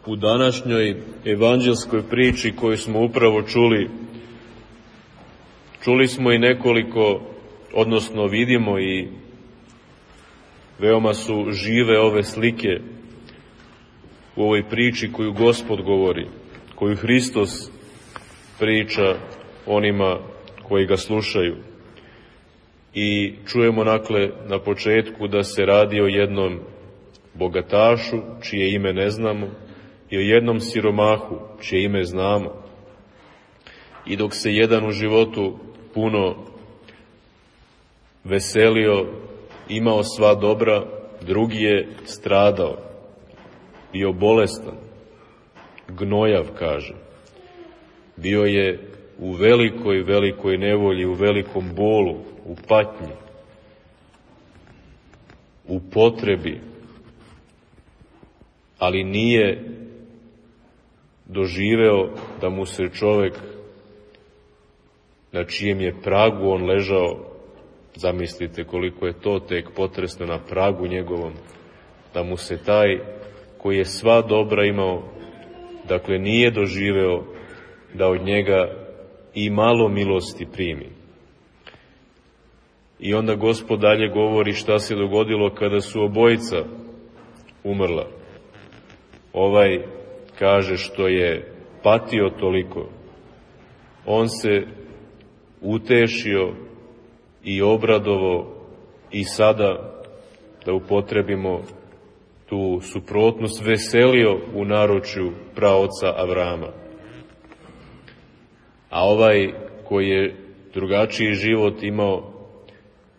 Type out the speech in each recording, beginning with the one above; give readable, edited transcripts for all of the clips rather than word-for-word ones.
U današnjoj evanđelskoj priči koju smo upravo čuli smo i nekoliko, odnosno vidimo i veoma su žive ove slike u ovoj priči koju Gospod govori, koju Hristos priča onima koji ga slušaju. I čujemo na početku da se radi o jednom bogatašu, čije ime ne znamo, i o jednom siromahu, čije ime znamo. I dok se jedan u životu puno veselio, imao sva dobra, drugi je stradao, bio bolestan, gnojav, kaže. Bio je u velikoj, velikoj nevolji, u velikom bolu, u patnji, u potrebi, ali nije doživeo da mu se čovek na čijem je pragu on ležao, zamislite koliko je to tek potresno, na pragu njegovom, da mu se taj koji je sva dobra imao, dakle nije doživeo da od njega i malo milosti primi. I onda Gospod dalje govori šta se dogodilo kada su obojica umrla. Ovaj kaže što je patio toliko, on se utešio i obradovao i sada, da upotrebimo tu suprotnost, veselio u naručju praoca Avrama. A ovaj koji je drugačiji život imao,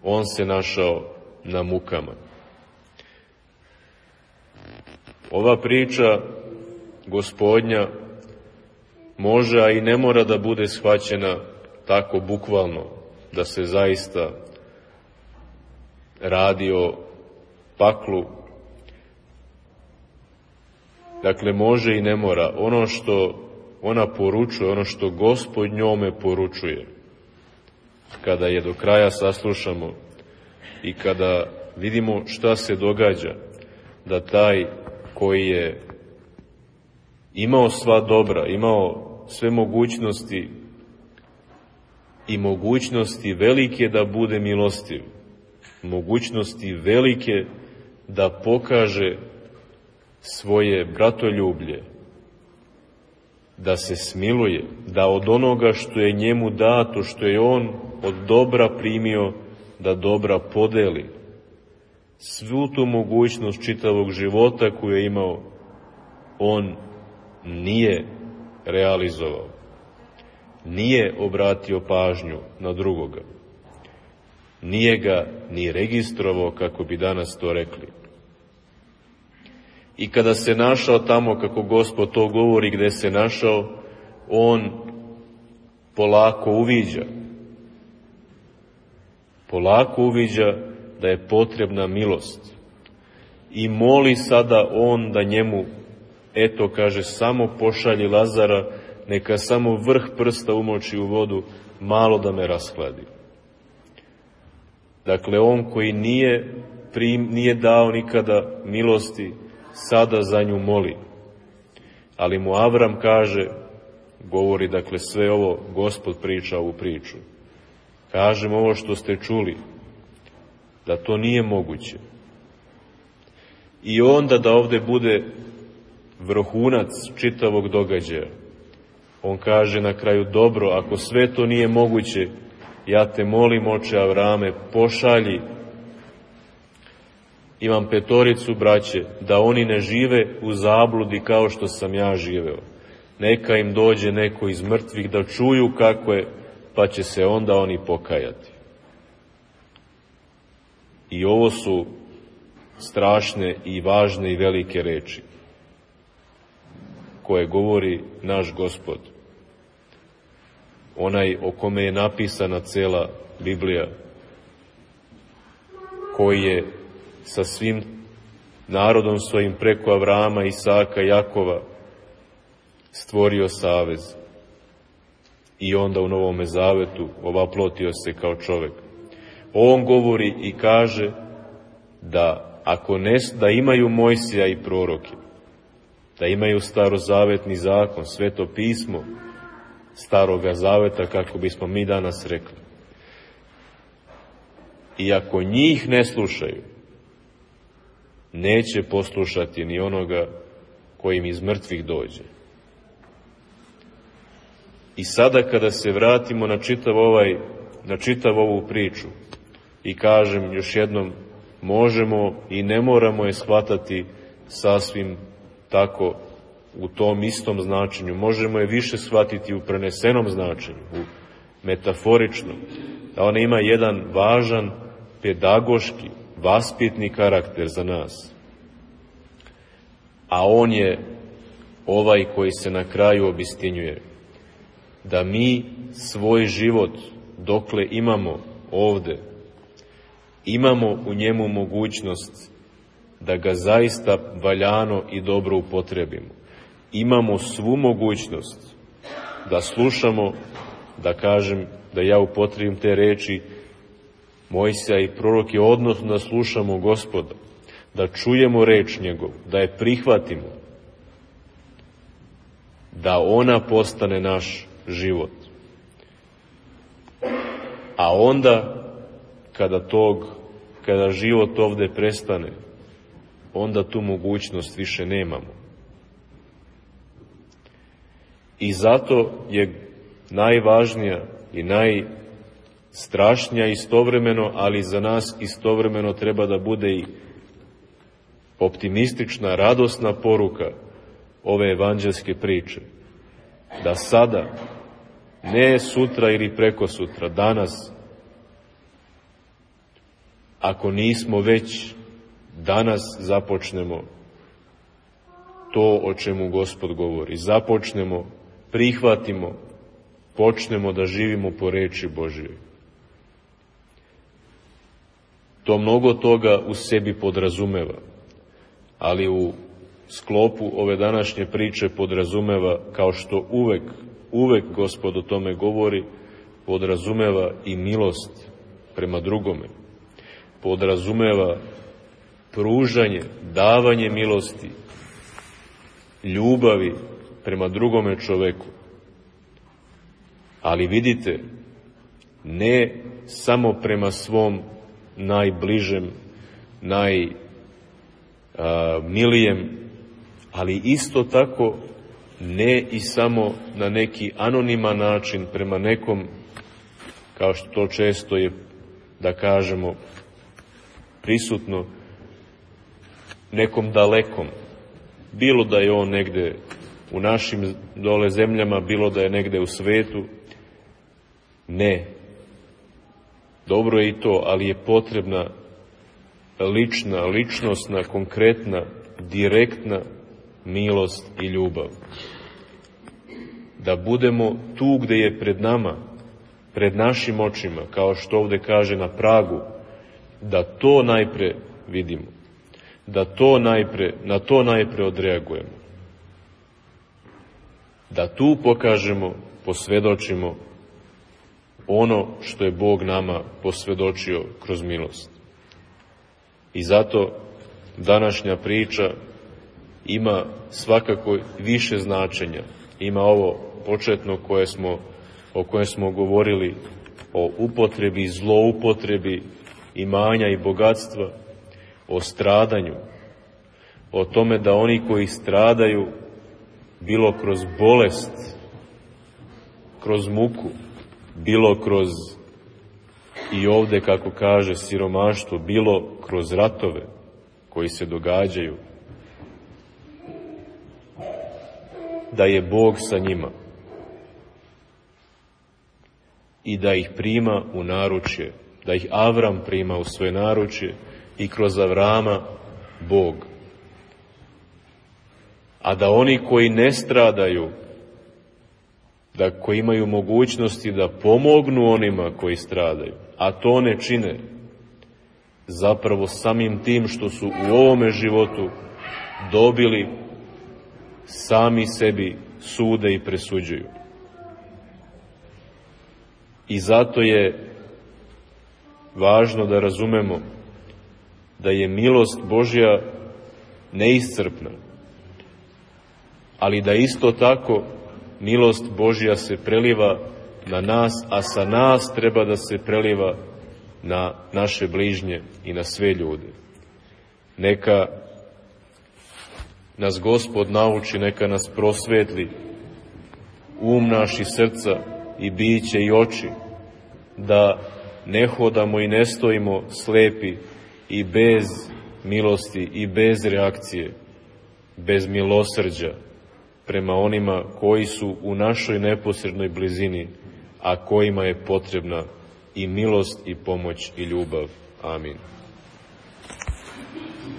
on se našao na mukama. Ova priča Gospodnja može, a i ne mora da bude shvaćena tako bukvalno, da se zaista radi o paklu. Dakle, može i ne mora. Ono što ona poručuje, ono što Gospod njome poručuje, kada je do kraja saslušamo i kada vidimo šta se događa, da taj koji je imao sva dobra, imao sve mogućnosti i mogućnosti velike da bude milostiv, mogućnosti velike da pokaže svoje bratoljublje, da se smiluje, da od onoga što je njemu dato, što je on od dobra primio, da dobra podeli. Svu tu mogućnost čitavog života koju je imao, on nije realizovao. Nije obratio pažnju na drugoga. Nije ga ni registrovao, kako bi danas to rekli. I kada se našao tamo, kako Gospod to govori, gde se našao, on polako uviđa. Polako uviđa da je potrebna milost. I moli sada on da njemu, eto, kaže, samo pošalji Lazara, neka samo vrh prsta umoči u vodu, malo da me rashladi. Dakle, on koji nije dao nikada milosti, sada za nju moli. Ali mu Avram kaže, govori, dakle, sve ovo Gospod priča ovu priču. Kažem ovo što ste čuli, da to nije moguće. I onda da ovde bude vrhunac čitavog događaja. On kaže na kraju, dobro, ako sve to nije moguće, ja te molim, oče Avrame, pošalji, imam 5 braće, da oni ne žive u zabludi kao što sam ja živeo. Neka im dođe neko iz mrtvih da čuju kako je, pa će se onda oni pokajati. I ovo su strašne i važne i velike reči koje govori naš Gospod. Onaj o kome je napisana cela Biblija, koji je sa svim narodom svojim preko Avrama, Isaka, Jakova stvorio savez. I onda u Novome Zavetu ovaplotio se kao čovek. On govori i kaže da da imaju Mojsija i proroke, da imaju starozavetni zakon, sveto pismo staroga zaveta, kako bismo mi danas rekli. I ako njih ne slušaju, neće poslušati ni onoga koji im iz mrtvih dođe. I sada kada se vratimo na čitav ovu priču i kažem još jednom, možemo i ne moramo je shvatati sasvim tako u tom istom značenju. Možemo je više shvatiti u prenesenom značenju, u metaforičnom, da ona ima jedan važan pedagoški, vaspitni karakter za nas. A on je ovaj koji se na kraju obistinjuje. Da mi svoj život, dokle imamo ovde, imamo u njemu mogućnost da ga zaista valjano i dobro upotrebimo. Imamo svu mogućnost da slušamo, da kažem, da ja upotrebim te reči Mojsija i proroke, odnosno da slušamo Gospoda, da čujemo reč njegovu, da je prihvatimo, da ona postane naš život. A onda, kada život ovde prestane, onda tu mogućnost više nemamo. I zato je najvažnija i najstrašnija istovremeno, ali za nas istovremeno treba da bude i optimistična, radosna poruka ove evanđelske priče. Da sada, ne sutra ili prekosutra, danas, ako nismo već danas započnemo to o čemu Gospod govori. Započnemo, prihvatimo, počnemo da živimo po reči Božjoj. To mnogo toga u sebi podrazumeva, ali u sklopu ove današnje priče podrazumeva, kao što uvek Gospod o tome govori, podrazumeva i milost prema drugome. Podrazumeva pružanje, davanje milosti, ljubavi prema drugome čoveku. Ali vidite, ne samo prema svom najbližem, najmilijem, ali isto tako ne i samo na neki anoniman način prema nekom, kao što to često je, da kažemo, prisutno, nekom dalekom. Bilo da je on negde u našim dole zemljama, bilo da je negde u svetu. Ne. Dobro je i to, ali je potrebna ličnosna, konkretna, direktna milost i ljubav. Da budemo tu gde je pred nama, pred našim očima, kao što ovde kaže, na pragu, da to najpre vidimo, da na to najpre odreagujemo, da tu pokažemo, posvedočimo ono što je Bog nama posvedočio kroz milost. I zato današnja priča ima svakako više značenja. Ima ovo početno o kojem smo govorili, o upotrebi i zloupotrebi imanja i bogatstva, o stradanju, o tome da oni koji stradaju, bilo kroz bolest, kroz muku, bilo kroz, i ovde kako kaže, siromaštvo, bilo kroz ratove koji se događaju, da je Bog sa njima i da ih prima u naručje, da ih Avram prima u svoje naručje i kroz Avrama Bog. A da oni koji ne stradaju, da koji imaju mogućnosti da pomognu onima koji stradaju, a to ne čine, zapravo samim tim što su u ovome životu dobili, sami sebi sude i presuđuju. I zato je važno da razumemo da je milost Božja neiscrpna, ali da isto tako milost Božja se preliva na nas, a sa nas treba da se preliva na naše bližnje i na sve ljude. Neka nas Gospod nauči, neka nas prosvetli um naš i srca i biće i oči, da ne hodamo i ne stojimo slepi i bez milosti i bez reakcije, bez milosrđa prema onima koji su u našoj neposrednoj blizini, a kojima je potrebna i milost i pomoć i ljubav. Amin.